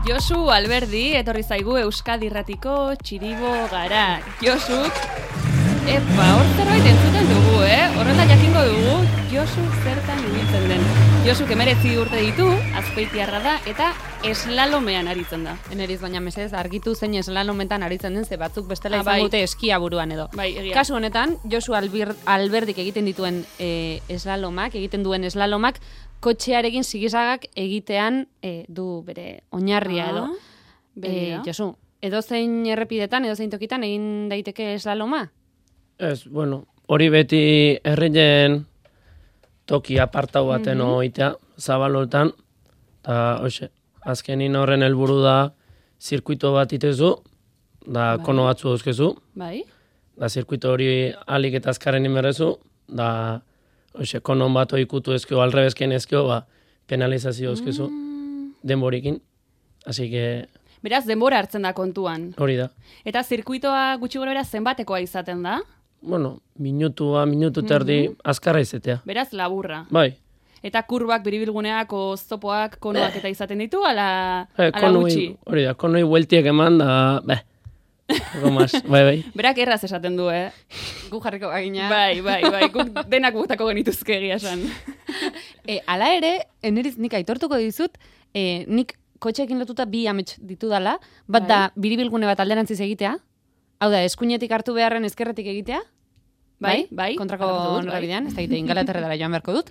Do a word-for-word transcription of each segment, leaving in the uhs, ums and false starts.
Josu Alberdi, etorri zaigu Euskadi Irratiko txiribo gara. Josuk, epa, hor zerbait entzuten dugu, eh? Horrela jakingo dugu, Josu zertan ibiltzen den. Josuk emeretzi urte ditu, azpeitiarra da, eta eslalomean aritzen da. Eneriz, baina mesedez, argitu zein eslalometan aritzen den, ze batzuk bestela Ah, izan bai. dute eskia buruan edo. Bai, egia. Kasu honetan, Josu Albir, Alberdik egiten dituen e, eslalomak, egiten duen eslalomak, kotxearekin zigizagak egitean e, du bere oinarria edo. Ah, E, begira. Josu, edozein errepidetan, edozein tokitan egin daiteke eslaloma? Ez, bueno, hori beti herrien toki apartau baten Mhm. oitea, zabalotan, eta hoxe, azkenin horren helburu da zirkuito bat itezu, da Bai. kono batzu dauzkezu, Bai? da zirkuito hori alik eta azkarren inberrezu, da hoxe, konon bat oikutu ezkio, alrebezken ezkio, ba, penalizazio dauzkezu, Mm. denborikin, así que Beraz, denbora hartzen da kontuan. hori da. Eta zirkuitoa gutxi gora bera zenbatekoa izaten da? Bueno, minutua, minutu terdi, azkarra izetea. Beraz, laburra. Bai, Eta kurbak, biribilguneak, oztopoak, konoak eta izaten ditu, ala, Eh, ala konoi, gutxi. hori da, konoi bueltiek eman, da, beh, poco más, bai, bai. Berak erraz esaten du, eh? Gu jarriko bagina. Bai, bai, bai, guk denak gutako genituzke egia esan. E, ala ere, eneriz nik aitortuko dizut, e, nik kotxeekin lotuta bi amets ditudala, bat Bai. da biribilgune bat alderantziz egitea, hau da, eskuinetik hartu beharren ezkerretik egitea, Bai, bai, kontrako hartu dut, bai. norabidean, ez da egite ingalaterretara joan beharko dut.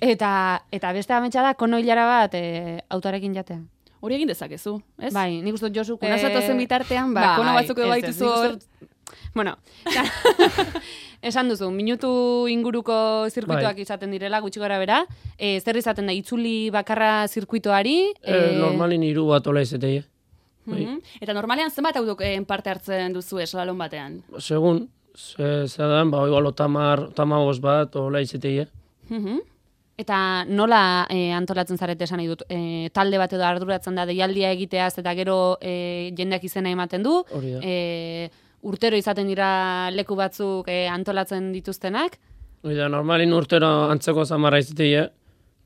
Eta, eta beste ametsa da, kono hilara bat e, autoarekin jatea. Hori egin dezakezu, ez? Bai, nik uste dut Josuk... Una zatozen bitartean, ba, kono batzuk edo ez, ez, baituzu nik uste hor. dut- Bueno, esan duzu, minutu inguruko zirkuitoak Bai. izaten direla, gutxi gora bera, e, zer izaten da, itzuli bakarra zirkuitoari, Eh, normalin hiru bat ola izetei, bai. Mhm. Eta normalean zenbat autoken parte hartzen duzu eslalon batean? Segun, ze, ze dan, ba, igual otamar, otamagoz bat, ola izetei, Mhm. Eta nola e, antolatzen zarete esan nahi dut, e, talde bat edo arduratzen da deialdia egiteaz eta gero e, jendeak izena ematen du, hori da. e, urtero izaten dira leku batzuk e, antolatzen dituztenak, Hori da, normalin urtero antzeko zamarra izetei,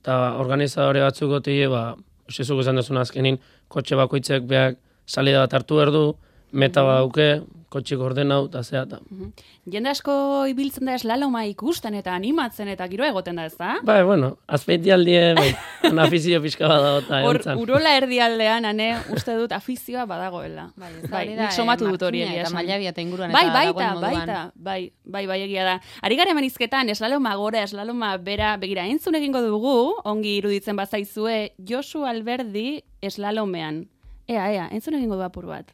eta organizadore batzuk gotei, ba, usizuk esan duzun azkenin, kotxe bakoitzek beak salida bat hartu erdu, meta bat dauke, kotxik orden hau, eta zea, eta... Mhm. Jende asko ibiltzen da eslaloma ikusten eta animatzen eta giro egoten da, ez da? Bai, bueno, azpeiti aldie, bai, un afizio pixka bat dago, eta Hor, egontzan. urola erdialdean, ane, uste dut afizioa badagoela. Bai, bai, nik somatu dut hori egia eta esan. mailabia eta inguruan Bai, eta baita, dagoen moduan. baita, bai, bai, bai egia da. Ari gara hemen hizketan, eslaloma gora, eslaloma bera, begira, entzun egingo dugu, ongi iruditzen bazaizue, Josu Alberdi eslalomean. Ea, ea, entzun egingo du apur bat.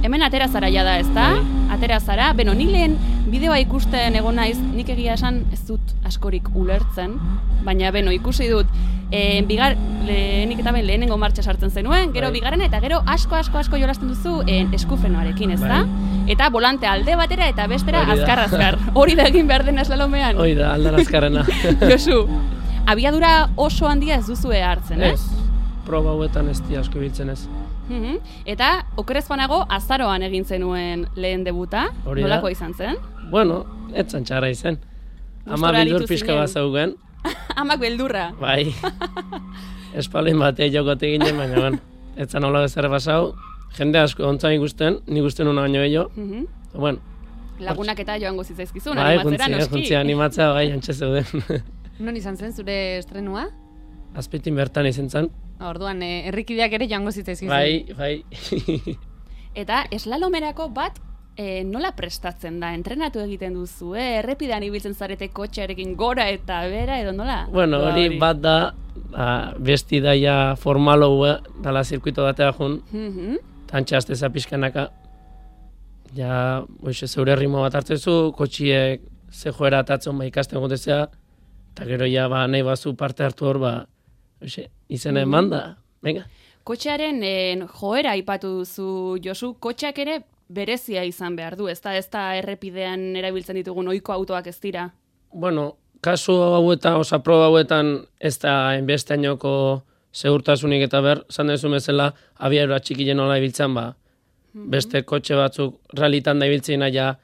Hemen atera zara ja da, ezta? Atera zara, beno, ni lehen bideoa ikusten egon naiz, nik egia esan ez dut askorik ulertzen, baina beno, ikusi dut, e, bigar, lehenik eta ben lehenengo martxa sartzen zenuen, gero Bai. bigarrena eta gero asko, asko, asko jolasten duzu e, eskufrenoarekin, ezta? Eta volante alde batera eta bestera Hori da. azkar, azkar. Hori da egin behar dena eslalomean. Hoi da, aldan azkarrena. Josu, abiadura oso handia ez duzue hartzen, ez? Ez, proba hauetan ez di asko ibiltzen ez. Mhm. Eta okerez banago azaroan egin zenuen lehen debuta, Hori da. nolako izan zen? Bueno, etzan txarra izen. Ama Gustora bildur aritu pixka zinen. bat zaugen, Amak beldurra. bai. Espalin bate jokote ginen, baina ben, etzan hola bezer basau. Jende asko ontzain ikusten, ni gusten una baino bello. Mhm. Bueno, Lagunak eta joango zitzaizkizun, bai, animatzera, juntzia, noski. juntzia animatzea, bai, antxe zeuden. Non izan zen zure estrenua? Azpetin bertan izen zen. Orduan, e, herrikideak ere joango zitzaizkizun. Bai, bai. Eta eslalomerako bat e, nola prestatzen da? Entrenatu egiten duzu, eh? Errepidean ibiltzen zarete kotxearekin gora eta bera, edo nola? Bueno, Ba, hori bat da, ba, besti daia formalo dala zirkuito batea jun, Mhm. tantxe azteza pixkanaka. Ja, oixe, zeure ritmo bat hartzezu, kotxiek ze joera atatzen ba ikasten gotezea, eta gero ja, ba, nahi bazu parte hartu hor, ba, oixe, izena eman da, venga. Kotxearen en, joera aipatu duzu, Josu, kotxeak ere berezia izan behar du, ez da, ez da errepidean erabiltzen ditugun ohiko autoak ez dira. Bueno, kasu hauetan, oza, proba hauetan, ez da enbesteainoko segurtasunik eta ber, zan dezu bezala, abiadura txikien nola ibiltzen, ba, beste kotxe batzuk realitan da ibiltzen ja,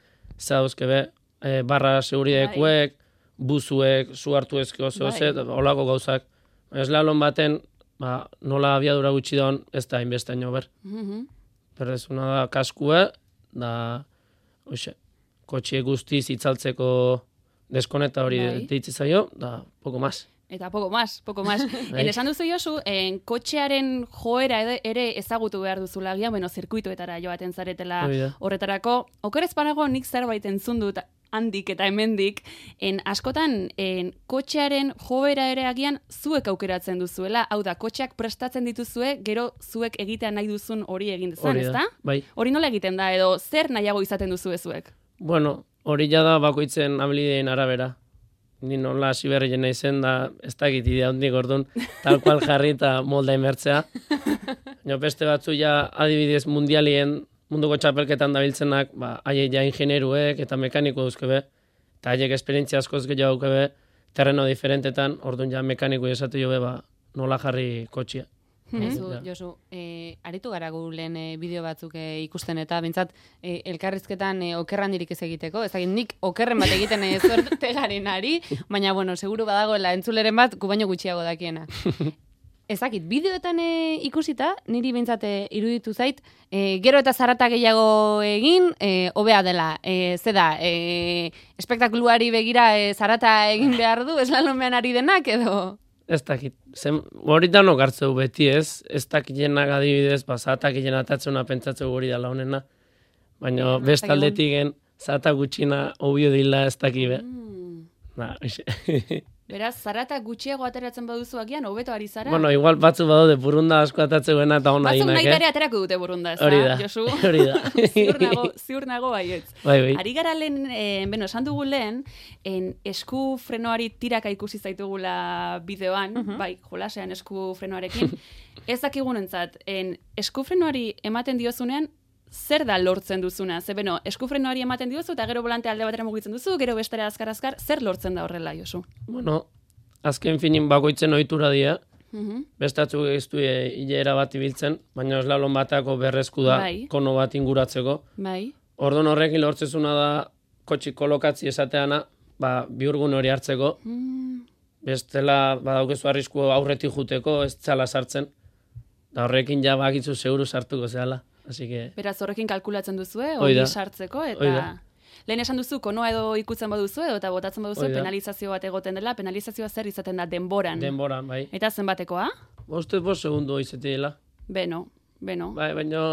zauzke be, e, barra seguridadekuek, buzuek, zu hartu ezke oso, Bai. ez, olako gauzak. Eslalon baten, ba, nola abiadura gutxi daun, ez da inbesteaino ber. Mhm. Berrezuna da kaskue, da, oixe, kotxie guztiz itzaltzeko deskoneta hori Bai. deitzi zaio, da, poko mas. Eta poco más, poco más. En esan duzu Josu, en kotxearen joera ere, ere ezagutu behar duzula agian, bueno, zirkuituetara joaten zaretela Hori da. horretarako. Okerez panago nik zerbait entzun dut handik eta hemendik, en askotan en kotxearen joera ere agian zuek aukeratzen duzuela, hau da, kotxeak prestatzen dituzue, gero zuek egitea nahi duzun hori egin dezan, Hori da, ezta? bai. Hori nola egiten da, edo zer nahiago izaten duzu zuek? Bueno, hori ja da bakoitzen abilideen arabera. Ni nola hasi berri nahi zen, da ez dakit idea hondik orduan, tal cual jarri eta molda inbertzea. Jo, beste batzu ja adibidez mundialien, munduko txapelketan dabiltzenak, ba, haiek ja ingenieruek eta mekaniko duzkebe, eta haiek esperientzia askoz gehiago daukebe, terreno diferentetan, orduan ja mekaniko esatu jobe, ba, nola jarri kotxia. Ezu, Ja. Josu, e, aritu gara gu lehen e, bideo batzuk e, ikusten eta bintzat e, elkarrizketan e, okerrandirik ez egiteko, ez dakit nik okerren bat egiten e, zuerte garen ari, baina bueno, seguru badagoela entzuleren bat gu baino gutxiago dakiena. Ez dakit, bideoetan e, ikusita, niri bintzat e, iruditu zait, e, gero eta zarata gehiago egin, e, hobea dela, e, ze da, e, espektakuluari begira e, zarata egin behar du, eslalomean ari denak edo... Ez dakit, zen, hori danok hartzeu beti ez, ez dakilenak adibidez, ba, zatak hilen atatzuna pentsatzeu hori dala honena, baina Mm, beste ez dakit. aldetik gen, zata gutxina obio dila ez dakibe. Mm. Na, oixe. Beraz, zarata gutxiago ateratzen baduzu agian, hobeto ari zara? Bueno, igual batzu badaude burunda asko atatzeuena eta hona Batzuk dinak, nahi eh? ere aterako dute burunda, ez da, Hori da, Josu? hori da. ziur nago, ziur nago baietz. Bai, bai. Ari gara lehen, eh, beno, esan dugu lehen, en esku frenoari tiraka ikusi zaitugula bideoan, bai, jolasean esku frenoarekin, ez dakigunentzat, en esku frenoari ematen diozunean, zer da lortzen duzuna? Ze, beno, esku frenoari ematen diozu, eta gero volante alde batera mugitzen duzu, gero bestera azkar-azkar, zer lortzen da horrela, Josu? Bueno, azken finin bakoitzen ohitura dira, Mhm. bestatzuk ez du e, hilera bat ibiltzen, baina eslalon batako berrezku da, Bai. kono bat inguratzeko. Bai. Orduan horrekin lortzezuna da, kotxi kolokatzi esateana, ba, biurgun hori hartzeko, Mm. bestela badaukezu arrisku aurretik juteko, ez zala sartzen, da horrekin ja bakitzu seguru sartuko zehala. Así que, Beraz, horrekin kalkulatzen duzue, Hoi da. hori sartzeko, Hoi eta... da. Lehen esan duzu, konoa edo ikutzen baduzu, edo eta botatzen baduzu, Hoi da. penalizazio bat egoten dela, penalizazioa zer izaten da denboran. denboran, bai. Eta zenbatekoa? Boste bost segundo izetiela. Beno, beno. Bai, baina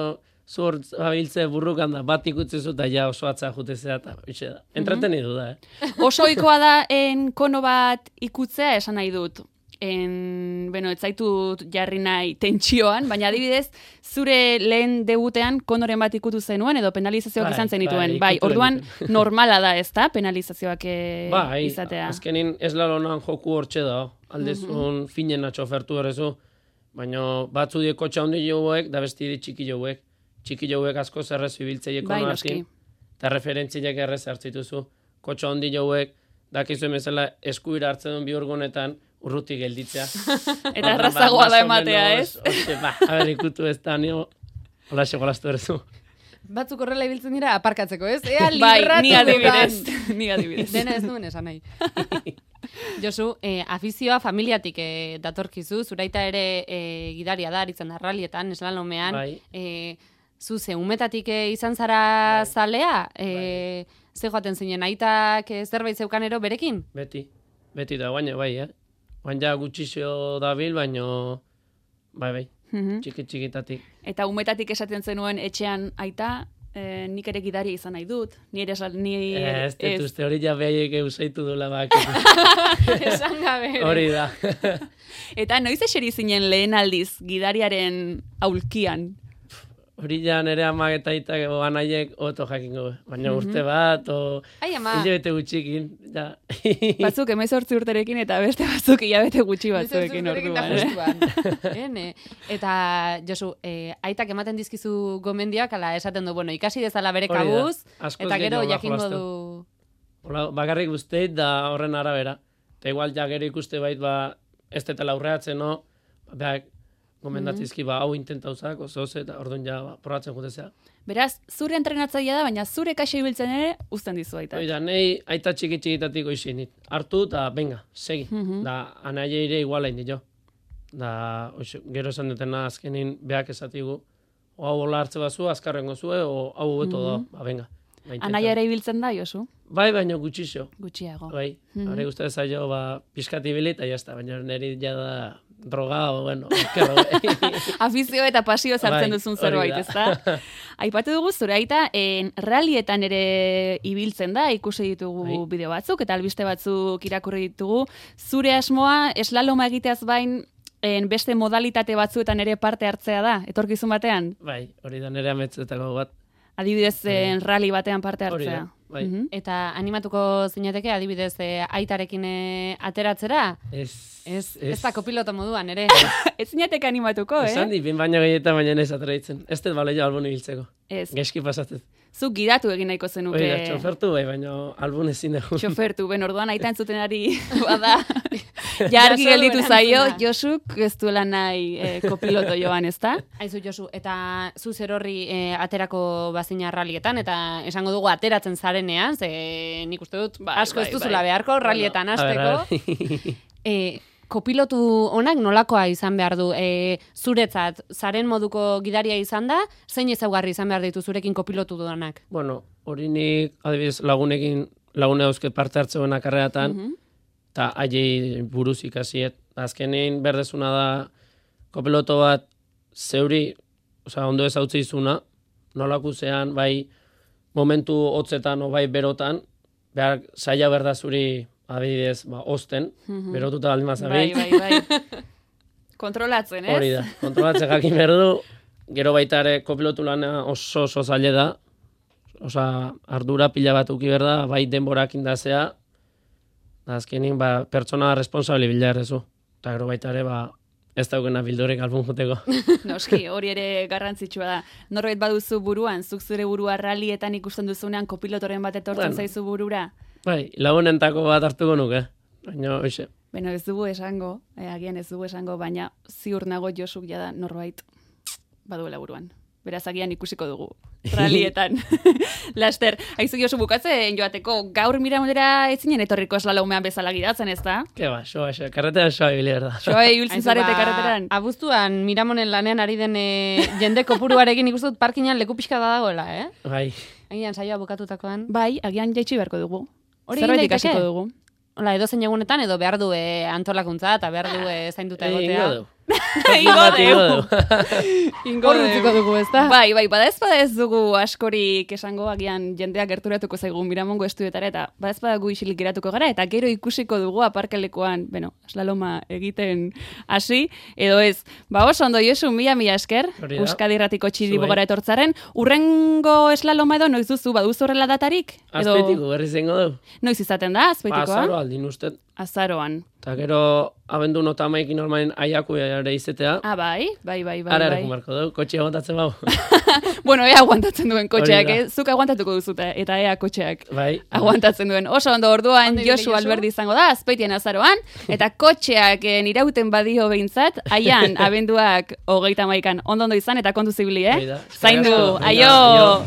zur abiltze burrukan da, bat ikutzezu eta ja oso atza jutezea, eta hoxe da. Entretenidu da, eh? Oso ohikoa da en kono bat ikutzea, esan nahi dut. En, beno, ez zaitut jarri nahi tentsioan, baina adibidez, zure lehen debutean konoren bat ikutu zenuen, edo penalizazioak Bai, izan zenituen. bai, Bai, ikutu orduan genituen. normala da, ez da, penalizazioak eh, Bai, izatea. azkenin eslalonan joku hortxe da, aldezun finena txofertu horrezu, baina batzu die kotxa handi joguek, da besti di txiki joguek. Txiki joguek asko zerrezu ibiltzeieko Bai, nartin, noski. eta referentziak errez hartzituzu. Kotxa handi joguek, dakizu emezela eskuira hartzen duen biurgunetan, urruti gelditzea. Eta errazagoa da ematea, ez? Hoxe, ba, a ber, ikutu ez da, nio, hola segolaztu errezu. Batzuk horrela ibiltzen dira aparkatzeko, ez? Ea Bai, libratu ni adibidez. dudan. Ni adibidez. Dena ez duen esan nahi. Josu, eh, afizioa familiatik eh, datorkizu, zuraita ere eh, gidaria da, aritzen da rallietan, eslalomean. Bai. Eh, zu ze, umetatik eh, izan zara Bai. zalea? Eh, ze joaten zinen, aitak eh, zerbait zeukanero berekin? Beti, beti da, baina bai, eh? Baina gutxixo dabil, baina, bai, bai, Mhm. txiki txikitatik. Eta umetatik esaten zenuen etxean aita, eh, nik ere gidaria izan nahi dut. Ni ere esal, ni... Eh, ez dut uste hori ja behaiek eusaitu duela bak. Esan gabe. ere. Hori da. Eta noiz eseri zinen lehen aldiz gidariaren aulkian? Hori ja nire amak eta aitak anaiek oto jakingo. Baina urte bat, o Ai, ama. hilabete gutxikin. Ja. Batzuk emezortzi urterekin eta beste batzuk hilabete gutxi batzuekin Zurekin da orduan. Eh? justuan. Ene. Eta, Josu, eh, aitak ematen dizkizu gomendiak, ala esaten du, bueno, ikasi dezala bere Hori da. kabuz, Askoz eta gero gehiago jakingo jolasten. du... Hola, bakarrik guzteit da horren arabera. Eta igual ja gero ikuste bait, ba, ez detela aurreatzen, no? Beak, gomendatzizki, ba, hau intentauzak, oso oso, eta orduan ja, ba, probatzen jutezea. Beraz, zure entrenatzailea da, baina zure kaxa ibiltzen ere uzten dizu aita. Hoi da, nei aita txiki txikitatik oizin, hartu eta venga, segi. Da, anaia ere igualain dio. Da, oixo, gero esan dutena azkenin beak esatigu, o hau hola hartze bazu, azkarrengo zue, o hau hobeto da, ba, venga. Anaia ere ibiltzen da, Josu? Bai, baina gutxixo. Gutxiago. Bai, hori guztia zailo, ba, pixkat ibili, eta jazta, baina niri jada droga, o, bueno, kerro. Afizio eta pasio zartzen Bai, duzun hori zerbait, da. ezta? Aipatu dugu zure aita, en rallietan ere ibiltzen da, ikusi ditugu Bai. bideo batzuk, eta albiste batzuk irakurri ditugu. Zure asmoa, eslaloma egiteaz bain, en beste modalitate batzuetan ere parte hartzea da, etorkizun batean? Bai, hori da nire ametzetako bat. Adibidez, en rally batean parte Hori hartzea. da, bai. Mhm. Eta animatuko zinateke, adibidez, eh, aitarekin eh, ateratzera? Ez, Ez, ez da kopiloto moduan, ere. Ez zinateke animatuko, eh? Esan di, bin baino gehietan baina ez atraitzen. Ez dut baleio albun ibiltzeko. Ez. Geski pasatzen. Zuk gidatu egin nahiko zenuke. Hori da, txofertu bai, baina albun ezin dugu. Txofertu, ben orduan aita entzutenari bada. Ja argi Jaso gelditu erantzuna. zaio, Josuk ez duela nahi eh, kopiloto joan, ezta? Aizu, Josu, eta zu zer horri eh, aterako bazina rallietan, eta esango dugu ateratzen zarenean, ze nik uste dut Bai, asko ez bai, duzula bai. beharko rallietan A ber, a hasteko. ber. E, kopilotu honak nolakoa izan behar du? E, zuretzat, zaren moduko gidaria izan da, zein ezaugarri izan behar ditu zurekin kopilotu dudanak? Bueno, hori nik adibidez lagunekin, lagune dauzket parte hartzeuen karreatan, eta haiei buruz ikasiet. Azkenein berdezuna da kopiloto bat zeuri, osea, ondo ez hautze izuna, nolakuzean, bai momentu hotzetan o bai berotan, behar saia berda zuri adibidez, ba, osten, berotuta baldin Bai, mazabil. bai, bai. Kontrolatzen, ez? Hori da, kontrolatzen jakin behar du, gero baita ere kopilotu lana oso oso zaile da, osea, ardura pila bat uki behar da, bai denborak indazea, da azkenin, ba, pertsona responsabili bila errezu. Eta gero baita ere, ba, ez daukena bildurek albun juteko. Noski, hori ere garrantzitsua da. Norbait baduzu buruan, zuk zure burua rallietan ikusten duzunean kopilotoren bat etortzen Bueno. zaizu burura. Bai, lagunentako bat hartuko nuke, baina, hoxe. Beno, ez dugu esango, eh, agian ez dugu esango, baina ziur nago Josuk jada norbait baduela buruan. Beraz, agian ikusiko dugu, rallietan. Laster, haizu Josu bukatzen joateko, gaur Miramondera ez zinen etorriko eslalomean bezala gidatzen, ez da? Ke ba, soa, soa, karretean soa ibili behar da. Joa ibiltzen Aizu, zarete ba, karreteran. Abuztuan Miramonen lanean ari den e, jende kopuruarekin ikusten dut parkinan leku pixka da dagoela, eh? Bai, Agian saioa bukatutakoan. Bai, agian jaitsi beharko dugu. Hori Zerbait egin daiteke? ikasiko dugu. Hola, edo zein egunetan, edo behar du e, antolakuntza, eta behar du e, zainduta Egingo egotea. du. Ingo Bat dugu. ingo du. Ingo Hor utziko dugu, ezta? Bai, bai, bada ez bada ez dugu askorik esango, agian jendeak gerturatuko zaigu Miramongo estudiotara, eta bada ez bada gu isilik geratuko gara, eta gero ikusiko dugu aparkalekoan, bueno, slaloma egiten hasi, edo ez. Ba, oso ondo Josu, mila mila esker, Hori da. Euskadi Irratiko txiribo Zuei. gara etortzaren, urrengo slaloma edo noiz duzu, baduzu horrela datarik? Edo Azpeitiko berriz ingo du. noiz izaten da, Ba, azpeitikoa? azaro aldin uste. Azaroan. Eta gero, abendu nota maikin normalen aiaku ere izetea. Ah, bai, bai, bai, bai. Ara bai. ere marko du, kotxe aguantatzen bau. Bueno, ea aguantatzen duen kotxeak, Hori da. eh? Zuk aguantatuko duzute, eta ea kotxeak Bai. aguantatzen duen. Oso ondo orduan Ondo ibili, Josu Josu? Alberdi izango da, Azpeitien azaroan, eta kotxeak eh, irauten badio behintzat, aian abenduak hogeita maikan ondo ondo izan, eta kontu zibili, Hori eh? da. Zaindu, Eskerrik asko. Venga, aio! aio.